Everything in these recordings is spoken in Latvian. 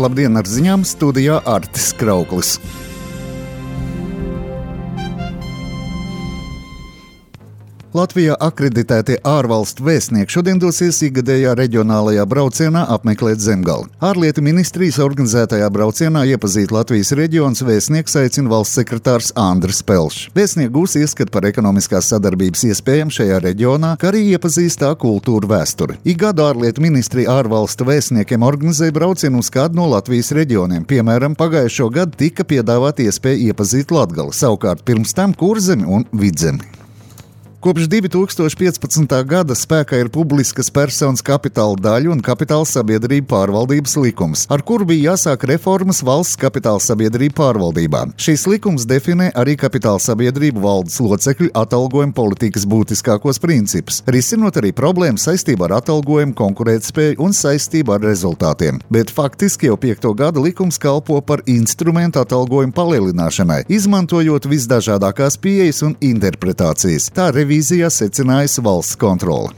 Labdien, ar ziņām studijā Artis Krauklis. Latvijā akreditētie ārvalstu vēstnieki šodien dosies ikgadējā reģionālajā braucienā apmeklēt Zemgali. Ārlietu ministrijas organizētajā braucienā iepazīt Latvijas reģionus vēstnieks aicina valsts sekretārs Andris Pelšs. Vēstnieki gūs ieskatu par ekonomiskās sadarbības iespējām šajā reģionā, kā arī iepazīs tā kultūru vēsturi. Ik gadu ārlietu ministrija ārvalstu vēstniekiem organizē braucienu uz kādu no Latvijas reģioniem. Piemēram, pagājušo gadu tika piedāvāta iespēja iepazīt Latgali, savukārt pirms tam Kurzemi un Vidzemi. Kopš 2015. gada spēkā ir publiskas personas kapitāla daļu un kapitāla sabiedrību pārvaldības likums, ar kuru bija jāsāk reformas valsts kapitāla sabiedrību pārvaldībā. Šīs likums definē arī kapitāla sabiedrību valdes locekļu atalgojuma politikas būtiskākos principus, risinot arī problēmas saistībā ar atalgojumu, konkurētspēju un saistību ar rezultātiem. Bet faktiski jau 5. gada likums kalpo par instrumentu atalgojumu palielināšanai, izmantojot visdažādākās pieejas un interpretācijas. Tā revīzijā secinājusi valsts kontrole.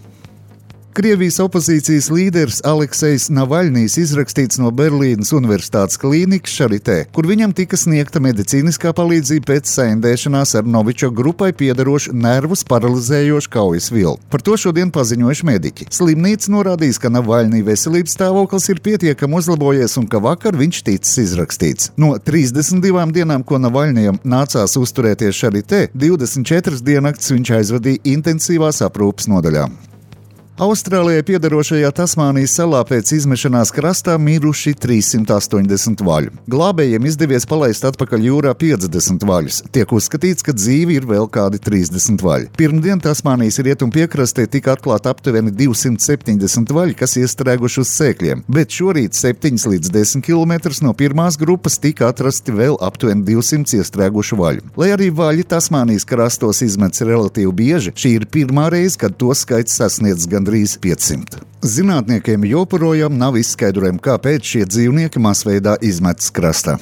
Krievijas opozīcijas līderis Aleksejs Navaļnijs izrakstīts no Berlīnas Universitātes klīnikas Šaritē, kur viņam tika sniegta medicīniskā palīdzība pēc saindēšanās ar Novičoka grupai piederošu nervus paralizējošu kaujas vilnu. Par to šodien paziņojuši mediķi. Slimnīca norādījis, ka Navaļnija veselības stāvoklis ir pietiekami uzlabojies un ka vakar viņš ticis izrakstīts. No 32 dienām, ko Navaļnijam nācās uzturēties Šaritē, 24 diennaktis viņš aizvadīja intensīvās aprūpes nodaļā. Austrālijai piederošajā Tasmānijas salā pēc izmešanās krastā miruši 380 vaļu. Glābējiem izdevies palaist atpakaļ jūrā 50 vaļus. Tiek uzskatīts, ka dzīvi ir vēl kādi 30 vaļi. Pirmdien Tasmānijas rietumu piekrastē tika atklāta aptuveni 270 vaļi, kas iestrēguši uz sēkļiem, bet šorīt 7 līdz 10 km no pirmās grupas tika atrasti vēl aptuveni 200 iestrēgušu vaļu. Lai arī vaļi Tasmānijas krastos izmets relatīvi bieži, šī ir pirmā reize, kad to skaits sasniedz gandrīz 500. Zinātniekiem joprojām nav izskaidrojumi, kāpēc šie dzīvnieki masveidā izmetas krastā.